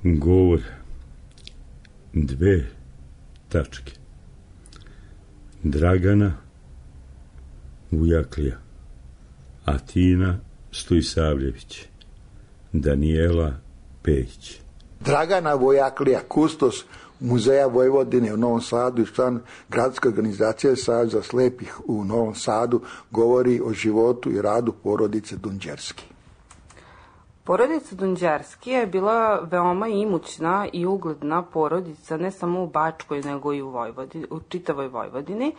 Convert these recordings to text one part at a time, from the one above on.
Govor 2 tačke. Dragana Vujaklija, Atina Stojsavljević, Danijela Pejić. Dragana Vujaklija, kustos Muzeja Vojvodine u Novom Sadu i član gradske organizacije Saveza slepih u Novom Sadu, govori o životu i radu porodice Dunđerski. Porodica Dunđerski je bila veoma imućna i ugledna porodica ne samo u Bačkoj nego i u čitavoj Vojvodini.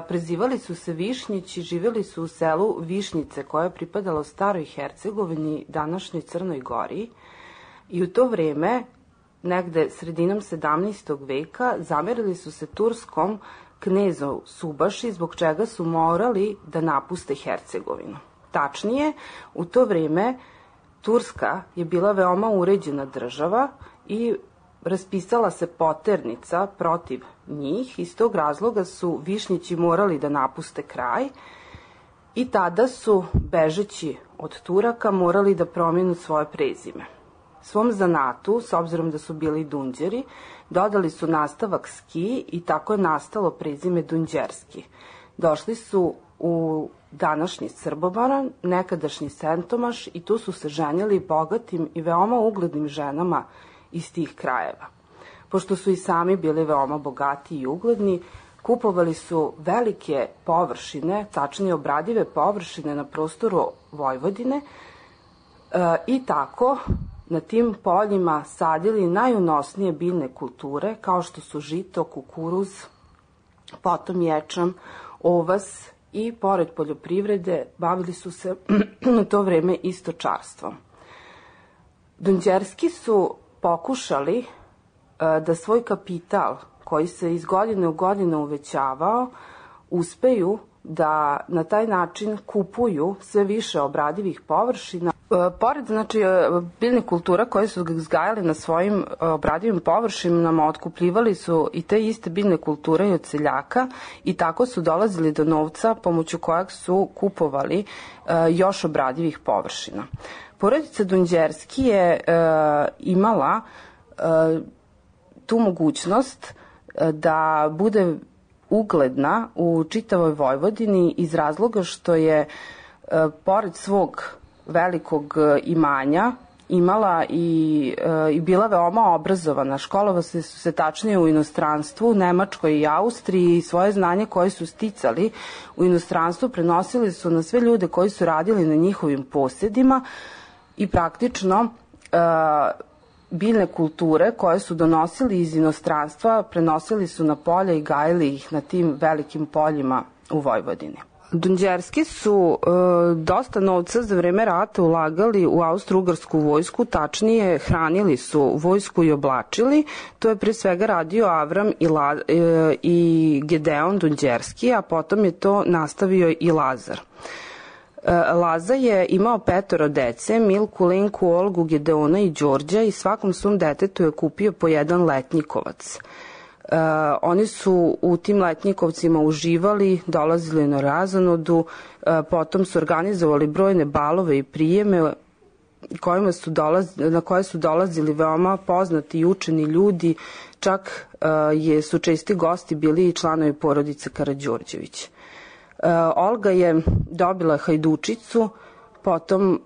Prezivali su se Višnjići, živjeli su u selu Višnjice koje je pripadalo Staroj Hercegovini, današnjoj Crnoj Gori, i u to vreme, negde sredinom 17. veka, zamerili su se turskom knezu Subaši, zbog čega su morali da napuste Hercegovinu. Tačnije, u to vreme Turska je bila veoma uređena država i raspisala se poternica protiv njih. Iz tog razloga su Višnjići morali da napuste kraj i tada su, bežeći od Turaka, morali da promenu svoje prezime. Svom zanatu, s obzirom da su bili Dunđeri, dodali su nastavak Ski i tako je nastalo prezime Dunđerski. Došli su u današnji Srbobran, nekadašnji Sentomaš, i tu su se ženjeli bogatim i veoma uglednim ženama iz tih krajeva. Pošto su i sami bili veoma bogati i ugledni, kupovali su velike površine, tačnije obradive površine na prostoru Vojvodine i tako na tim poljima sadili najunosnije biljne kulture kao što su žito, kukuruz, potom ječam, ovas i pored poljoprivrede bavili su se u to vreme i stočarstvom. Dunđerski su pokušali da svoj kapital, koji se iz godine u godinu uvećavao, uspeju da na taj način kupuju sve više obradivih površina. Pored biljnih kultura koje su uzgajali na svojim obradivim površinama, otkupljivali su i te iste biljne kulture i od seljaka i tako su dolazili do novca pomoću kojeg su kupovali još obradivih površina. Porodica Dunđerski je imala tu mogućnost da bude ugledna u čitavoj Vojvodini iz razloga što je pored svog velikog imanja imala i bila veoma obrazovana. Školovali su se tačnije u inostranstvu, Nemačkoj i Austriji, i svoje znanje koje su sticali u inostranstvu prenosili su na sve ljude koji su radili na njihovim posjedima i praktično biljne kulture koje su donosili iz inostranstva prenosili su na polja i gajili ih na tim velikim poljima u Vojvodini. Dunđerski su dosta novca za vreme rata ulagali u austro-ugarsku vojsku, tačnije hranili su vojsku i oblačili. To je pre svega radio Avram i Gedeon Dunđerski, a potom je to nastavio i Lazar. Laza je imao 5 dece, Milku, Lenku, Olgu, Gedeona i Đorđa, i svakom svom detetu je kupio po jedan letnjikovac. Oni su u tim letnjikovcima uživali, dolazili na razonodu, potom su organizovali brojne balove i prijeme na koje su dolazili veoma poznati i učeni ljudi, čak su česti gosti bili i članovi porodice Karađorđević. Olga je dobila Hajdučicu, potom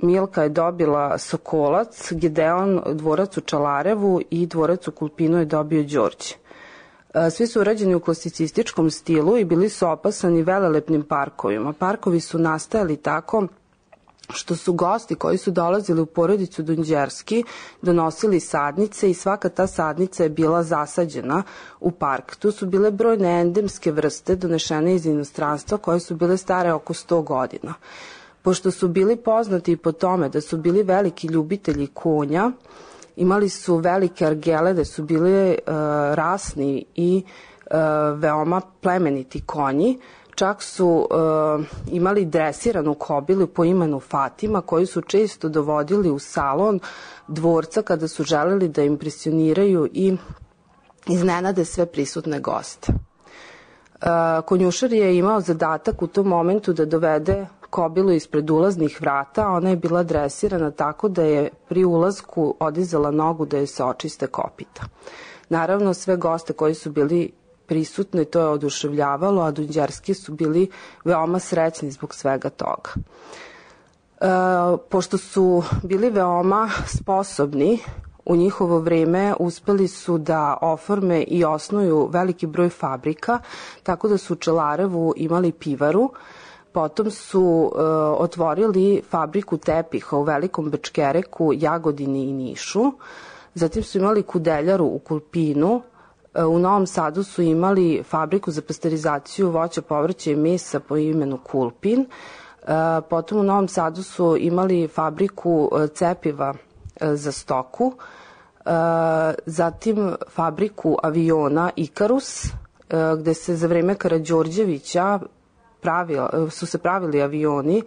Milka je dobila Sokolac, Gedeon dvorac u Čalarevu i dvorac u Kulpinu je dobio Đorđe. Svi su urađeni u klasicističkom stilu i bili su opasani velelepnim parkovima. Parkovi su nastajali tako što su gosti koji su dolazili u porodicu Dunđerski donosili sadnice i svaka ta sadnica je bila zasađena u park. Tu su bile brojne endemske vrste donešene iz inostranstva koje su bile stare oko 100 godina. Pošto su bili poznati i po tome da su bili veliki ljubitelji konja, imali su velike argele da su bili rasni i veoma plemeniti konji. Čak su imali dresiranu kobilu po imenu Fatima, koju su često dovodili u salon dvorca kada su želeli da impresioniraju i iznenade sve prisutne goste. Konjušar je imao zadatak u tom momentu da dovede kobilu ispred ulaznih vrata, ona je bila dresirana tako da je pri ulazku odizala nogu da je se očiste kopita. Naravno, sve goste koji su bili prisutni to je oduševljavalo, a dunđerski su bili veoma srećni zbog svega toga. Pošto su bili veoma sposobni, u njihovo vreme uspeli su da oforme i osnuju veliki broj fabrika, tako da su u Čelarevu imali pivaru, potom su otvorili fabriku tepiha u Velikom Bečkereku, Jagodini i Nišu, zatim su imali kudeljaru u Kulpinu, u Novom Sadu su imali fabriku za pasterizaciju voća, povrća i mesa po imenu Kulpin, potom u Novom Sadu su imali fabriku cepiva za stoku, zatim fabriku aviona Ikarus, gde se za vreme Karađorđevića su se pravili avioni,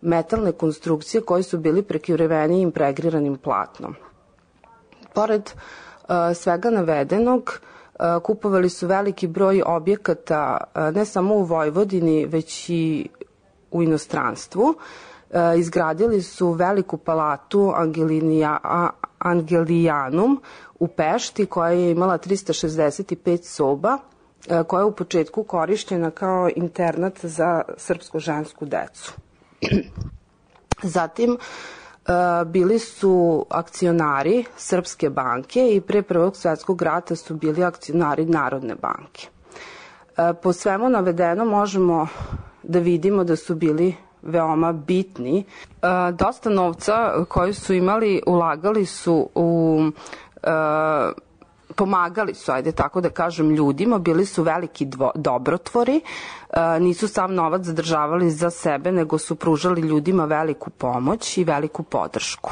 metalne konstrukcije koji su bili prekriveni impregriranim platnom. Pored svega navedenog, kupovali su veliki broj objekata ne samo u Vojvodini, već i u inostranstvu. Izgradili su veliku palatu Angelijanum u Pešti, koja je imala 365 soba, koja je u početku korišćena kao internat za srpsko-žensku decu. Zatim, bili su akcionari Srpske banke i pre Prvog svetskog rata su bili akcionari Narodne banke. Po svemu navedeno možemo da vidimo da su bili veoma bitni. Dosta novca koji su imali ulagali su u pomagali su, ajde tako da kažem, ljudima, bili su veliki dobrotvori, nisu sav novac zadržavali za sebe, nego su pružali ljudima veliku pomoć i veliku podršku.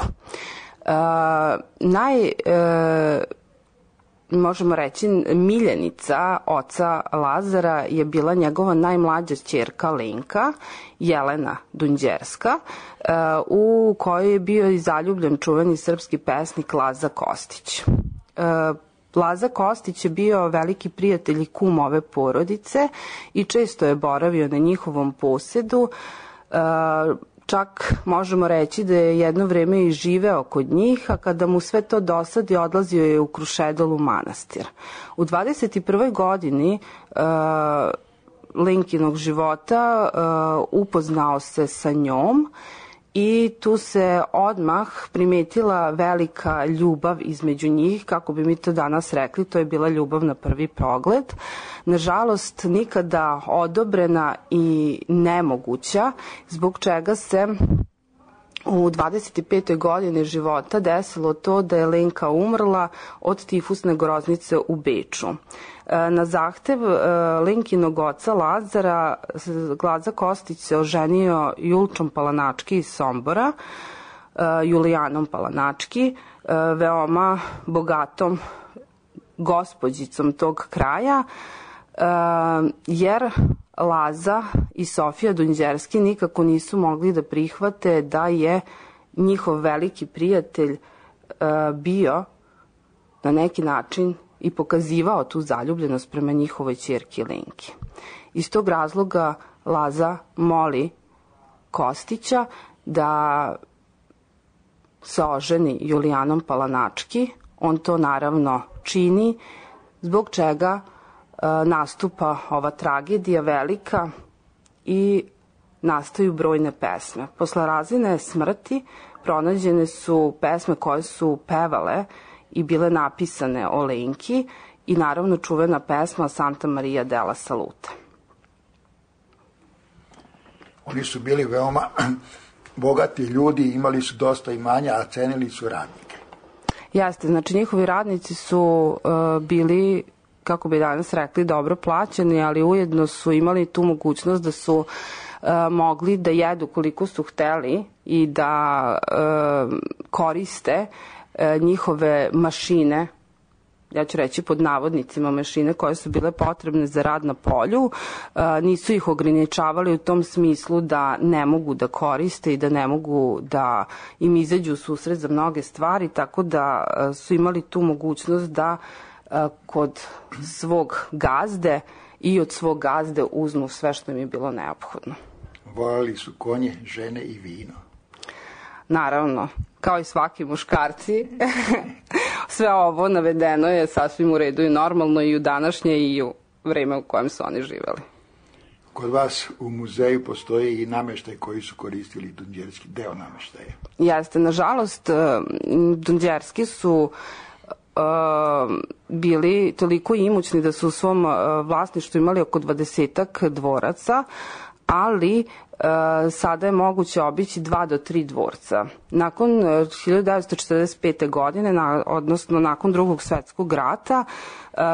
Možemo reći, miljenica oca Lazara je bila njegova najmlađa ćerka Lenka, Jelena Dunđerska, u kojoj je bio i zaljubljen čuveni srpski pesnik Laza Kostić. Laza Kostić je bio veliki prijatelj i kum ove porodice i često je boravio na njihovom posedu. Čak možemo reći da je jedno vreme i živeo kod njih, a kada mu sve to dosadi, odlazio je u Krušedol u manastir. U 21. godini Lenkinog života upoznao se sa njom i tu se odmah primetila velika ljubav između njih, kako bi mi to danas rekli, to je bila ljubav na prvi pogled. Nažalost, nikada odobrena i nemoguća, zbog čega se u 25. godini života desilo to da je Lenka umrla od tifusne groznice u Beču. Na zahtev Lenkinog oca Lazara, Laza Kostić se oženio Julčom Palanački iz Sombora, Julijanom Palanački, veoma bogatom gospođicom tog kraja, jer Laza i Sofija Dunđerski nikako nisu mogli da prihvate da je njihov veliki prijatelj bio na neki način i pokazivao tu zaljubljenost prema njihovoj ćerki Lenki. Iz tog razloga Laza moli Kostića da se oženi Julijanom Palanački. On to naravno čini, zbog čega nastupa ova tragedija velika i nastaju brojne pesme. Posle Razine smrti pronađene su pesme koje su pevale i bile napisane o Lenki i naravno čuvena pesma Santa Maria della Salute. Oni su bili veoma bogati ljudi, imali su dosta imanja, a cenili su radnike. Jeste, znači njihovi radnici su bili, kako bi danas rekli, dobro plaćeni, ali ujedno su imali tu mogućnost da su mogli da jedu koliko su hteli i da koriste njihove mašine, ja ću reći pod navodnicima mašine koje su bile potrebne za rad na polju. Nisu ih ograničavali u tom smislu da ne mogu da koriste i da ne mogu da im izađu u susret za mnoge stvari, tako da su imali tu mogućnost da kod svog gazde i od svog gazde uzmu sve što im je bilo neophodno. volali su konje, žene i vino. Naravno, kao i svaki muškarci, sve ovo navedeno je sasvim u redu i normalno i u današnje i u vreme u kojem su oni živeli. Kod vas u muzeju postoji i nameštaj koji su koristili dunđerski, deo nameštaja. Jeste, nažalost, dunđerski su bili toliko imućni da su u svom vlasništvu imali oko 20-ak dvoraca, ali sada je moguće obići 2 do 3 dvorca. Nakon 1945. godine, odnosno nakon Drugog svetskog rata,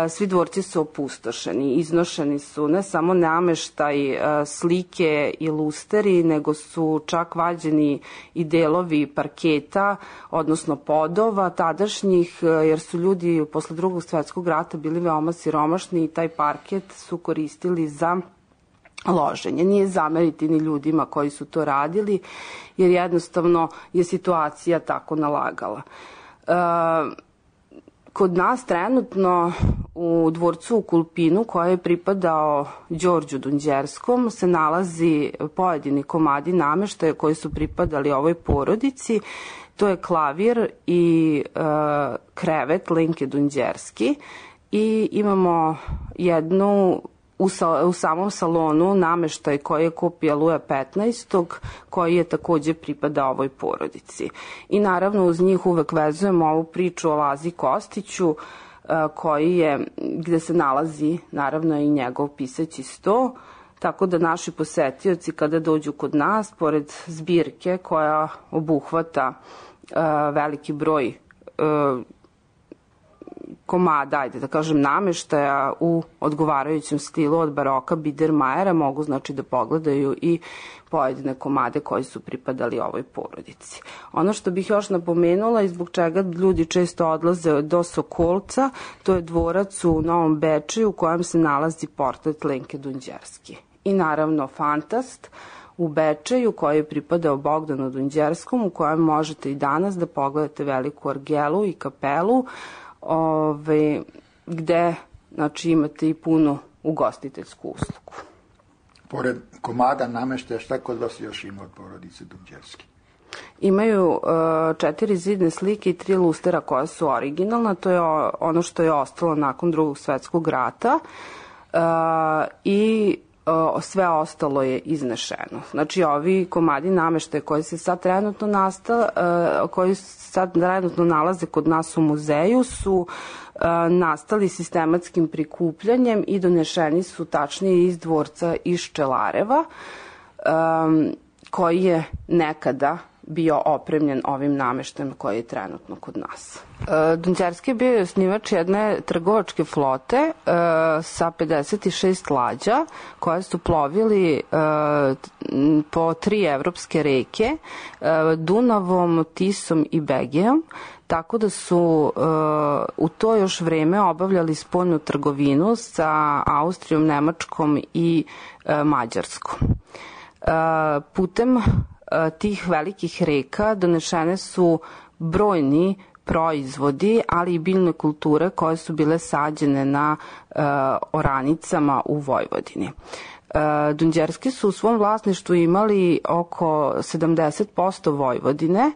svi dvorci su opustošeni, iznošeni su ne samo nameštaj, slike i lusteri, nego su čak vađeni i delovi parketa, odnosno podova tadašnjih, jer su ljudi posle Drugog svetskog rata bili veoma siromašni i taj parket su koristili za loženje. Nije zameriti ni ljudima koji su to radili, jer jednostavno je situacija tako nalagala. Kod nas trenutno u dvorcu u Kulpinu, koji je pripadao Đorđu Dunđerskom, se nalazi pojedini komadi nameštaja koji su pripadali ovoj porodici. To je klavir i krevet Lenke Dunđerski i imamo jednu u samom salonu nameštaj koji je kupio Luja 15. koji je takođe pripadao ovoj porodici. I naravno uz njih uvek vezujemo ovu priču o Lazi Kostiću koji je, gde se nalazi naravno i njegov pisaći sto, tako da naši posetioci kada dođu kod nas, pored zbirke koja obuhvata veliki broj komada, ajde da kažem, nameštaja u odgovarajućem stilu od baroka Biedermajera, mogu znači da pogledaju i pojedine komade koji su pripadali ovoj porodici. Ono što bih još napomenula i zbog čega ljudi često odlaze do Sokolca, to je dvorac u Novom Bečeju u kojem se nalazi portret Lenke Dunđerski. I naravno Fantast u Bečeju koji je pripadao Bogdanu Dunđerskom, u kojem možete i danas da pogledate veliku argelu i kapelu, gde znači, imate i punu ugostiteljsku uslugu. Pored komada nameštaja, šta kod vas još ima od porodice Dunđerski? Imaju 4 zidne slike i 3 lustera koja su originalna, to je ono što je ostalo nakon Drugog svetskog rata i sve ostalo je iznešeno. Znači, ovi komadi nameštaja koji se sad trenutno nalaze kod nas u muzeju su nastali sistematskim prikupljanjem i donešeni su tačnije iz dvorca iz Čelareva, koji je nekada bio opremljen ovim nameštajem koji je trenutno kod nas. Dunđerski je bio osnivač jedne trgovačke flote sa 56 lađa koje su plovili po 3 evropske reke, Dunavom, Tisom i Begejom, tako da su u to još vreme obavljali spoljnu trgovinu sa Austrijom, Nemačkom i Mađarskom. Putem tih velikih reka donešene su brojni proizvodi, ali i biljne kulture koje su bile sađene na oranicama u Vojvodini. Dunđerski su u svom vlasništvu imali oko 70% Vojvodine,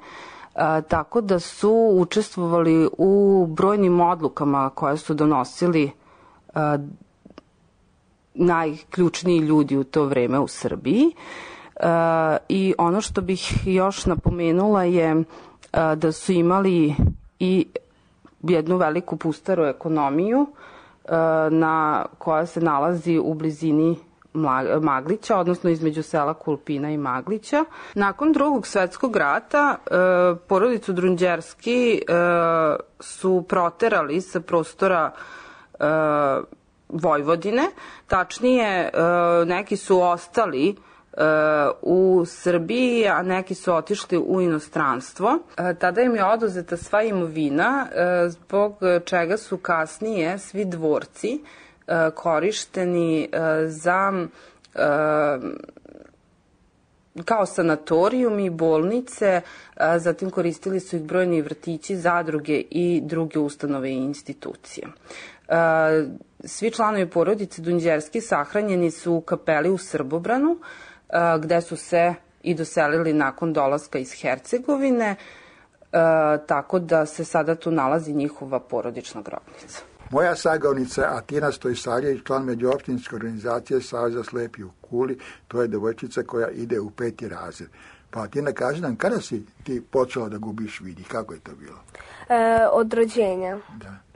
tako da su učestvovali u brojnim odlukama koje su donosili najključniji ljudi u to vreme u Srbiji. I ono što bih još napomenula je da su imali i jednu veliku pustaru ekonomiju koja se nalazi u blizini Maglića, odnosno između sela Kulpina i Maglića. Nakon Drugog svetskog rata porodicu Dunđerski su proterali sa prostora Vojvodine, tačnije neki su ostali u Srbiji, a neki su otišli u inostranstvo. Tada im je oduzeta sva imovina, zbog čega su kasnije svi dvorci korišteni za kao sanatorijum i bolnice, zatim koristili su ih brojni vrtići, zadruge i druge ustanove i institucije. Svi članovi porodice Dunđerski sahranjeni su u kapeli u Srbobranu, gde su se i doselili nakon dolaska iz Hercegovine, tako da se sada tu nalazi njihova porodična grobnica. Moja sagovornica Atina Stojsavljević, član međuopštinske organizacije Saveza slepih u Kuli, to je devojčica koja ide u 5. razred. Pa Atina, kaži nam, kada si ti počela da gubiš vid i kako je to bilo? Od rođenja.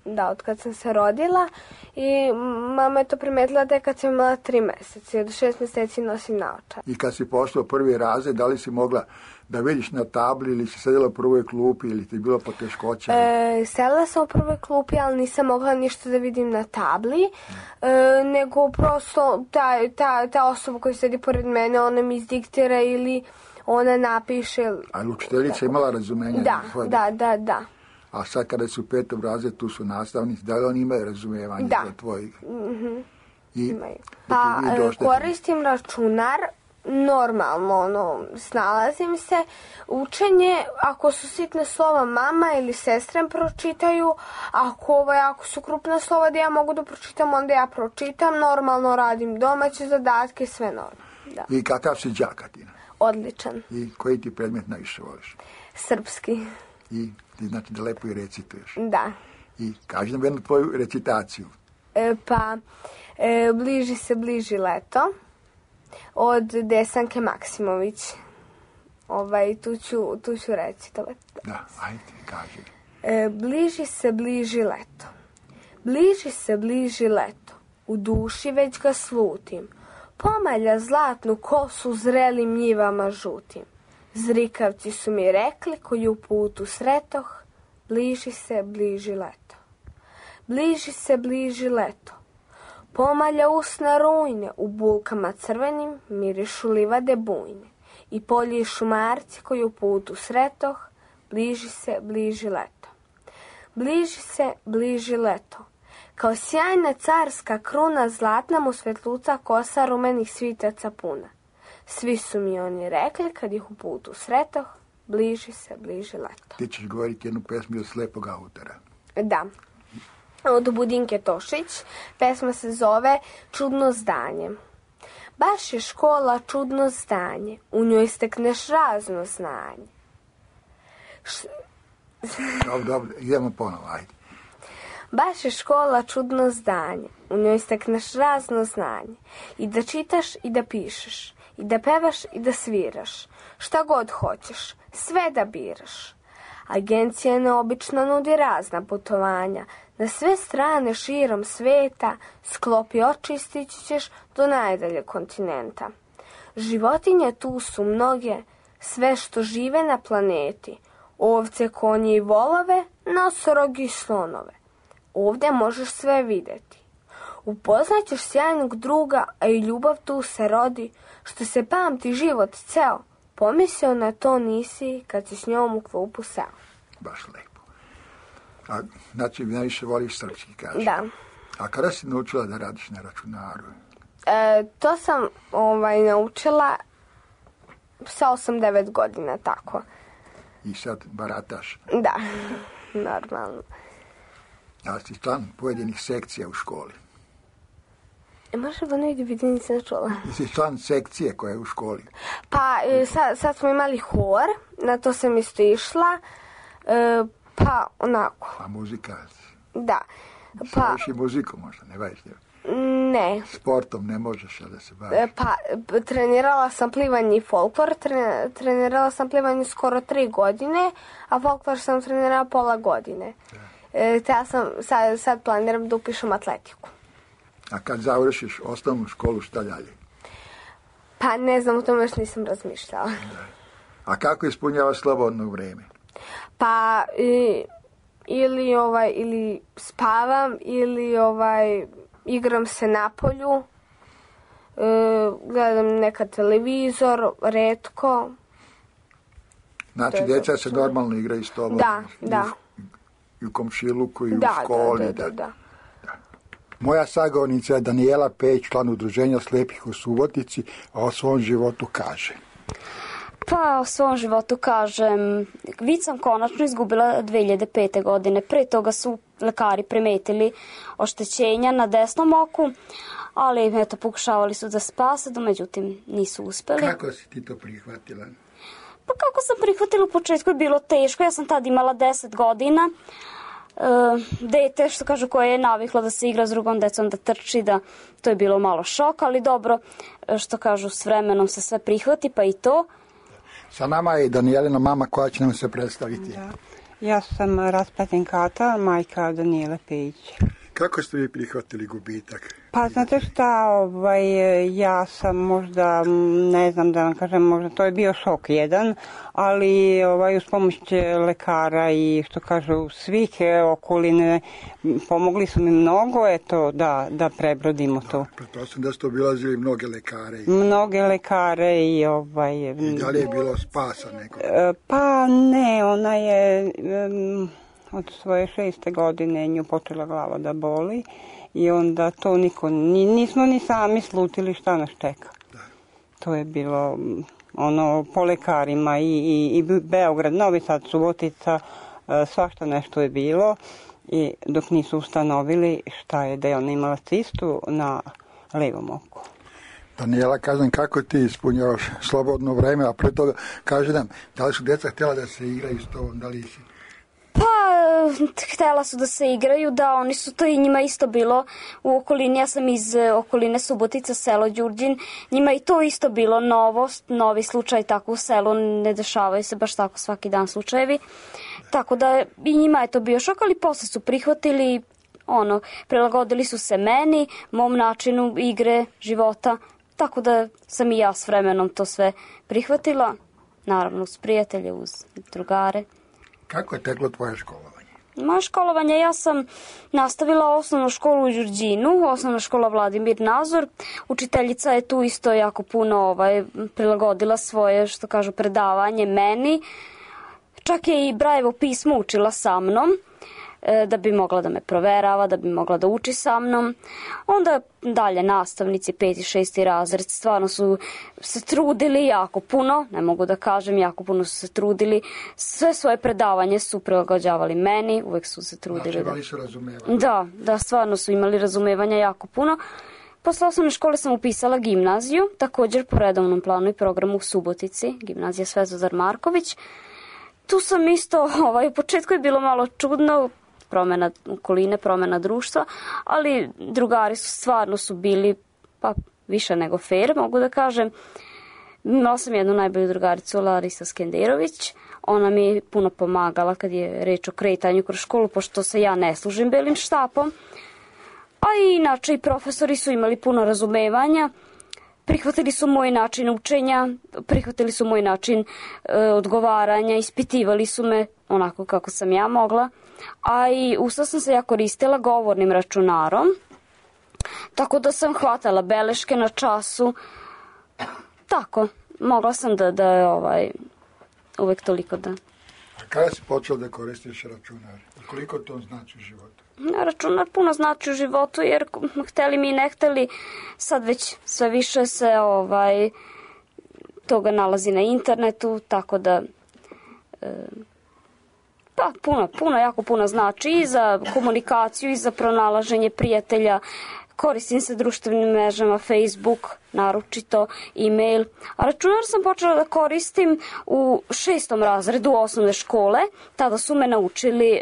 Da, od kad sam se rodila i mama je to primetila da je kad sam imala 3 meseca i od 6 meseci nosim naočare. I kad si pošla u 1. razred, da li si mogla da vidiš na tabli ili si sedela u prvoj klupi ili ti je bilo poteškoća? Sedela sam u prvoj klupi, ali nisam mogla ništa da vidim na tabli, nego prosto ta osoba koja sedi pored mene, ona mi izdiktira ili ona napiše. Ali učiteljica imala razumenja? Da. A sad kada su u 5. razredu, tu su nastavnici, da li oni imaju razumijevanje za tvojih? Koristim računar, normalno, snalazim se. Učenje, ako su sitne slova mama ili sestre pročitaju, ako su krupna slova da ja mogu da pročitam, onda ja pročitam, normalno radim domaće zadatke, sve normalno. Da. I kakav si đak, Atina? Odličan. I koji ti predmet najviše voliš? Srpski. I ti znači da lepo i recituješ? Da. I kaži nam jednu tvoju recitaciju. Bliži leto od Desanke Maksimović. Tu ću recitovati. Da, ajde, kaži. Bliži leto. Bliži leto. U duši već ga slutim. Pomalja zlatnu kosu zrelim njivama žutim. Zrikavci su mi rekli koju putu sretoh, bliži leto. Bliži leto. Pomalja usna rujne, u bulkama crvenim mirišu livade bujne. I polji šumarci koju putu sretoh, bliži leto. Bliži leto. Kao sjajna carska kruna, zlatna mu svetluca kosa rumenih svitaca puna. Svi su mi oni rekli, kad ih u putu sretoh, bliži leto. Ti ćeš govoriti jednu pesmu od slepog autora. Da. Od Budinke Tošić. Pesma se zove Čudno zdanje. Baš je škola čudno zdanje, u njoj stekneš razno znanje. Dobro, idemo ponovo, ajde. Baš je škola čudno zdanje, u njoj stekneš razno znanje. I da čitaš i da pišeš, i da pevaš i da sviraš. Šta god hoćeš, sve da biraš. Agencija neobično nudi razna putovanja. Na sve strane širom sveta, sklopi oči i stići ćeš do najdalje kontinenta. Životinje tu su mnoge, sve što žive na planeti. Ovce, konje i volove, nosorogi i slonove. Ovdje možeš sve vidjeti. Upoznaćeš sjajnog druga, a i ljubav tu se rodi, što se pamti život ceo. Pomislio na to nisi kad si s njom u klupu seo. Baš lepo. A znači najviše voliš srpski, kažeš? Da. A kada si naučila da radiš na računaru? To sam naučila sa 8-9 godina, tako. I sad barataš? Da, normalno. A si član pojedinih sekcija u školi? Može da ne vidim, nisam čula. Si član sekcije koja je u školi? Pa sad smo imali hor, na to sam isto išla, pa onako. A muzika? Da. Slaviš i muziku možda, ne baviš? Ne. Sportom ne možeš da se baviš? Pa trenirala sam plivanje i folklor, trenirala sam plivanje skoro 3 godine, a folklor sam trenirala pola godine. Te ja sam sad planiram da upišem atletiku. A kad završiš osnovnu školu, šta dalje? Pa ne znam, o tome još nisam razmišljala. A kako ispunjavaš slobodno vreme? Pa ili spavam, ili igram se na polju, gledam nekad televizor, retko. Znači, djeca se normalno igraju s tobom? Da. I u komšiluku, i u školi? Da. Moja sagovornica je Danijela Pejić, član Udruženja slepih u Subotici, a o svom životu kaže. Pa o svom životu kažem, vid sam konačno izgubila 2005. godine. Pre toga su lekari primetili oštećenja na desnom oku, ali eto, pokušavali su da spase, međutim nisu uspeli. Kako si ti to prihvatila? Pa kako sam prihvatila, u početku je bilo teško, ja sam tad imala 10 godina. Dete, što kažu, koje je naviklo da se igra s drugom decom, da trči, da to je bilo malo šok, ali dobro, što kažu, s vremenom se sve prihvati, pa i to. Sa nama je Danijelina mama koja će nam se predstaviti. Da. Ja sam Raspatin Kata, majka Danijele Pejić. Kako ste vi prihvatili gubitak? Pa znate šta, ja sam možda, ne znam da vam kažem, možda to je bio šok jedan, ali uz pomoć lekara i što kažu svih okoline pomogli su mi mnogo, eto, da prebrodimo to. Pretpostavljam da ste obilazili mnoge lekare. Mnoge lekare i I da li je bilo spasa nekog? Pa ne, ona je od svoje 6. godine nju počela glava da boli i onda to nismo ni sami slutili šta nas čeka. Da. To je bilo po lekarima i Beograd, Novi Sad, Subotica, svašta nešto je bilo i dok nisu ustanovili šta je, da je ona imala cistu na levom oku. Danijela, kažem, kako ti ispunjavaš slobodno vreme, a pre toga kaži nam, da li su djeca htjela da se igraju s tobom, da li si? Pa, htjela su da se igraju, da, oni su to i njima isto bilo u okolini, ja sam iz okoline Subotica, selo Đurđin, njima i to isto bilo novost, novi slučaj tako u selu, ne dešavaju se baš tako svaki dan slučajevi, tako da i njima je to bio šok, ali posle su prihvatili, prilagodili su se meni, mom načinu igre, života, tako da sam i ja s vremenom to sve prihvatila, naravno uz prijatelje, uz drugare. Kako je teklo tvoje školovanje? Moje školovanje, ja sam nastavila osnovnu školu u Đurđinu, osnovna škola Vladimir Nazor. Učiteljica je tu isto jako puno prilagodila svoje, što kažu, predavanje meni. Čak je i Brajevo pismo učila sa mnom, da bi mogla da me proverava, da bi mogla da uči sa mnom. Onda dalje nastavnici, 5. i 6. razred, stvarno su se trudili jako puno, ne mogu da kažem, jako puno su se trudili. Sve svoje predavanje su prilagođavali meni, uvek su se trudili. Znači, imali su razumevanje. Da, stvarno su imali razumevanja jako puno. Posle osnovne škole sam upisala gimnaziju, također po redovnom planu i programu u Subotici, gimnazija Svetozar Marković. Tu sam isto, u početku je bilo malo čudno, promjena okoline, promjena društva, ali drugari stvarno su bili pa više nego fair, mogu da kažem. Imala sam jednu najbolju drugaricu, Larisa Skenderović. Ona mi je puno pomagala kad je reč o kretanju kroz školu, pošto se ja ne služim belim štapom. A i inače i profesori su imali puno razumevanja. Prihvatili su moj način učenja, prihvatili su moj način odgovaranja, ispitivali su me onako kako sam ja mogla. A i usta sam se ja koristila govornim računarom, tako da sam hvatala beleške na času. Tako, mogla sam da uvek toliko da... A kada si počela da koristiš računar? Koliko to znači u životu? Računar puno znači u životu, jer hteli mi i ne hteli, sad već sve više se toga nalazi na internetu, tako da pa jako puno znači i za komunikaciju i za pronalaženje prijatelja. Koristim se društvenim mrežama, Facebook, naročito, e-mail. A računar sam počela da koristim u 6. razredu osnovne škole. Tada su me naučili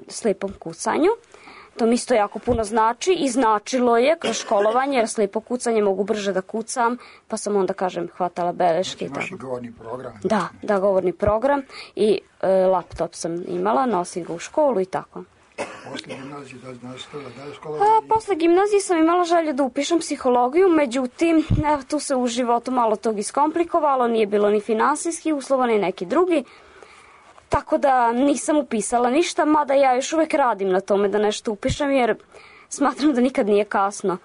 slepom kucanju. To mi isto jako puno znači i značilo je kroz školovanje, jer slepo kucanje mogu brže da kucam, pa sam onda, hvatala beleške. Imaš i govorni program? Da, govorni program i laptop sam imala, nosim ga u školu i tako. Posle gimnazije da li nastavila dalje školovanje? Posle gimnazije sam imala želju da upišem psihologiju, međutim, tu se u životu malo tog iskomplikovalo, nije bilo ni finansijski uslova, ni neki drugi. Tako da nisam upisala ništa, mada ja još uvek radim na tome da nešto upišem, jer smatram da nikad nije kasno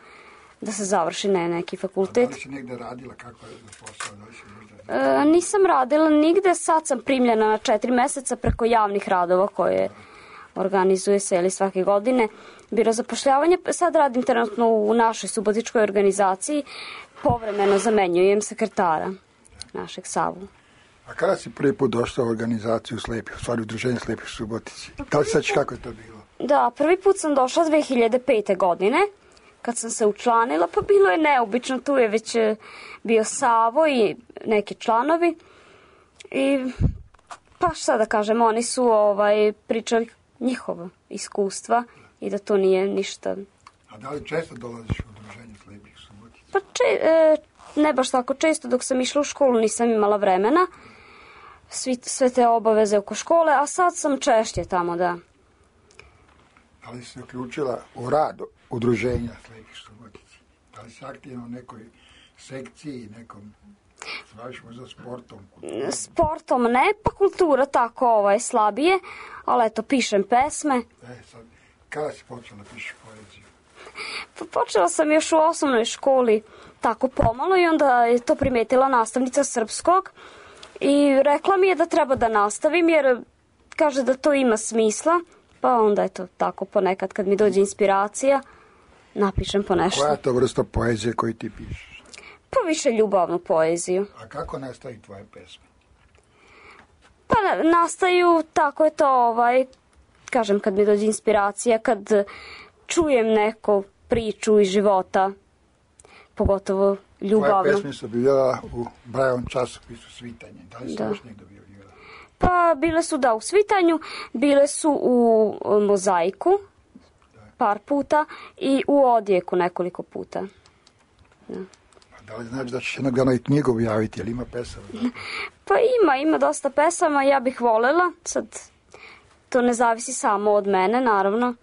da se završi neki fakultet. Da li si negde radila, kako je za posao? Da li si možda... Nisam radila nigde, sad sam primljena na 4 meseca preko javnih radova koje organizuje se svake godine. Biro zapošljavanja, sad radim trenutno u našoj subotičkoj organizaciji, povremeno zamenjujem sekretara našeg Savu. A kada si prvi put došla u organizaciju slepih, u stvari udruženje slepih u Subotici? Da li sećaš kako je to bilo? Da, prvi put sam došla 2005. godine, kad sam se učlanila, pa bilo je neobično, tu je već bio Savo i neki članovi. I pa šta da kažem, oni su pričali njihova iskustva i da to nije ništa. A da li često dolaziš u udruženje slepih u Subotici? Pa ne baš tako često, dok sam išla u školu nisam imala vremena, sve te obaveze oko škole, a sad sam češće tamo, da. Da li si se uključila u rad udruženja slepih u Subotici? Da li si aktivna u nekoj sekciji, nekom, se baviš možda sportom? Sportom ne, pa kultura tako slabije, ali eto, pišem pesme. Sad, kada si počela da pišeš poeziju? Pa počela sam još u osnovnoj školi tako pomalo i onda je to primetila nastavnica srpskog i rekla mi je da treba da nastavim jer kaže da to ima smisla, pa onda je to tako ponekad kad mi dođe inspiracija napišem po nešto. Koja je to vrsta poezije koju ti pišeš? Pa više ljubavnu poeziju. A kako nastaju tvoje pesme? Pa nastaju, tako je to, kažem, kad mi dođe inspiracija, kad čujem neku priču iz života, pogotovo ljubavno. Tvoje pesme su bila u Brajevom časopisu Svitanje. Da li si još negdje objavljivala? Pa bile su u Svitanju, bile su u Mozaiku par puta i u Odjeku nekoliko puta. Da li znači da ćeš jednog dana i knjigu objaviti, jel ima pesama? Pa ima dosta pesama, ja bih voljela, sad to ne zavisi samo od mene, naravno.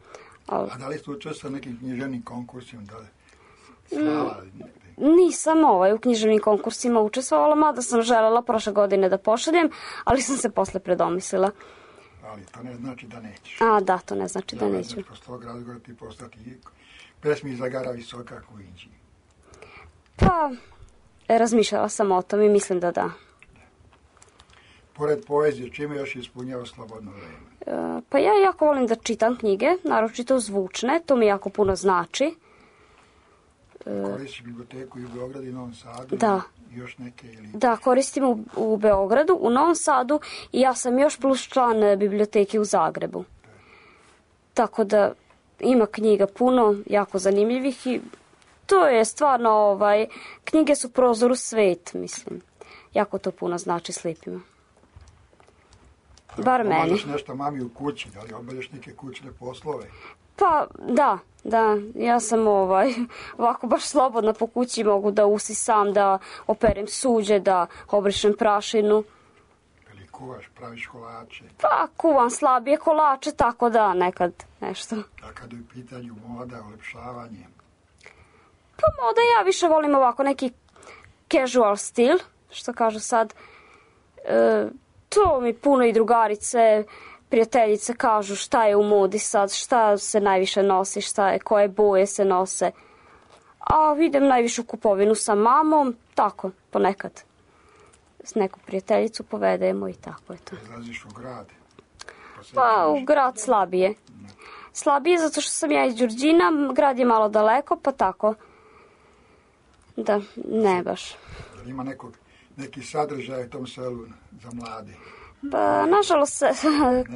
A da li ste učestvovali nekim književnim konkursima? Nisam u književnim konkursima učestvovala, mada sam želela prošle godine da pošaljem, ali sam se posle predomislila. Ali to ne znači da nećeš. A da, to ne znači da neću. Znači, posle tog razgovora ti postati pesmi Zagara visoka ku Inđi. Pa, razmišljala sam o tom i mislim da da. Pored poezije, čime još ispunjava slobodno vreme? Pa ja jako volim da čitam knjige, naročito zvučne, to mi jako puno znači. Koristiš biblioteku i u Beogradu i Novom Sadu? Da. I još neke? Ili... Da, koristim u Beogradu, u Novom Sadu i ja sam još plus član biblioteke u Zagrebu. Tako da ima knjiga puno, jako zanimljivih i to je stvarno, knjige su prozor u svet, mislim. Jako to puno znači slijepima. Bar meni. Obavljaš nešto mami u kući, da li obavljaš neke kućne poslove? Pa, da, ja sam ovako baš slobodna po kući, mogu da usisam, da operem suđe, da obrišem prašinu. Ili kuvaš, praviš kolače? Pa, kuvam slabije kolače, tako da, nekad nešto. A kad je u pitanju moda, ulepšavanje? Pa moda ja više volim ovako neki casual stil, što kažu sad. To mi puno i drugarice, prijateljice kažu šta je u modi sad, šta se najviše nosi, koje boje se nose. A idem najviše u kupovinu sa mamom, tako, ponekad. S neku prijateljicu povedemo i tako je to. Izlaziš u grad? Pa u grad slabije. Slabije zato što sam ja iz Đurđina, grad je malo daleko, pa tako. Da, ne baš. Ima neki sadržaj u tom selu za mlade? Pa, nažalost,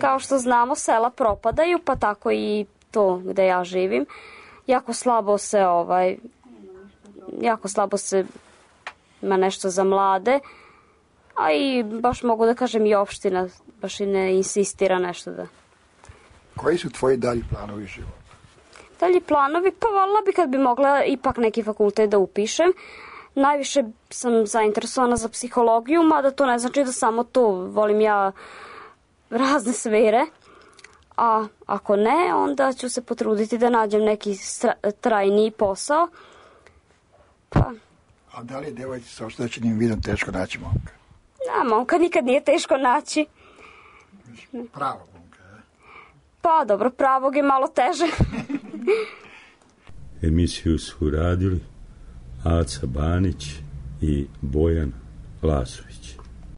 kao što znamo, sela propadaju, pa tako i to gde ja živim. Jako slabo se ima nešto za mlade, a i baš mogu da kažem i opština baš i ne insistira nešto da. Koji su tvoji dalji planovi života? Dalji planovi, pa voljela bi kad bi mogla ipak neki fakultet da upišem. Najviše sam zainteresovana za psihologiju, mada to ne znači da samo to, volim ja razne sfere. A ako ne, onda ću se potruditi da nađem neki trajniji posao. Pa. A da li je devojci sa oštećenim vidom teško naći momka? Momka nikad nije teško naći. Pravo momka, Pa dobro, pravog je malo teže. Emisiju su radili Aca Banić i Bojan Lasović.